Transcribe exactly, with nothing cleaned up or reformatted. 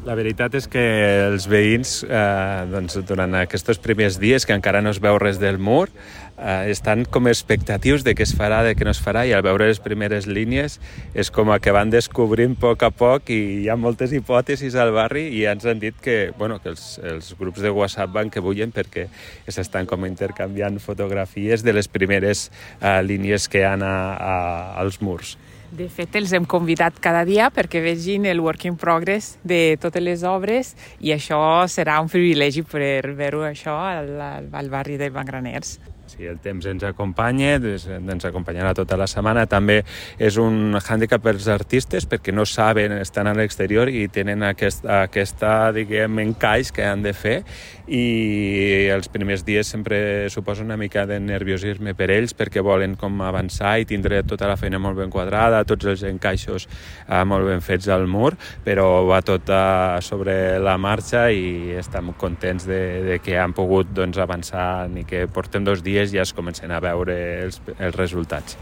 La veritat és que els veïns, eh, doncs, durant aquests primers dies, que encara no es veu res del mur, eh, estan com expectatius de què es farà, de què no es farà, i al veure les primeres línies és com que van descobrint a poc a poc, i hi ha moltes hipòtesis al barri, i ens han dit que, bueno, que els, els grups de WhatsApp van que bullen perquè s'estan com intercanviant fotografies de les primeres eh, línies que hi ha a, a, als murs. De fet, els hem convidat cada dia perquè vegin el work in progress de totes les obres, i això serà un privilegi per veure això al, al barri de Magraners. Sí, el temps ens acompanya, ens acompanyarà tota la setmana. També és un hàndicap per als artistes perquè no saben, estan a l'exterior i tenen aquest, aquesta, diguem, encaix que han de fer, i els primers dies sempre suposa una mica de nerviosisme per ells perquè volen com avançar i tindre tota la feina molt ben quadrada, tots els encaixos eh, molt ben fets al mur, però va tot eh, sobre la marxa i estem contents de, de que han pogut doncs, avançar i que portem dos dies ja es comencen a veure els, els resultats.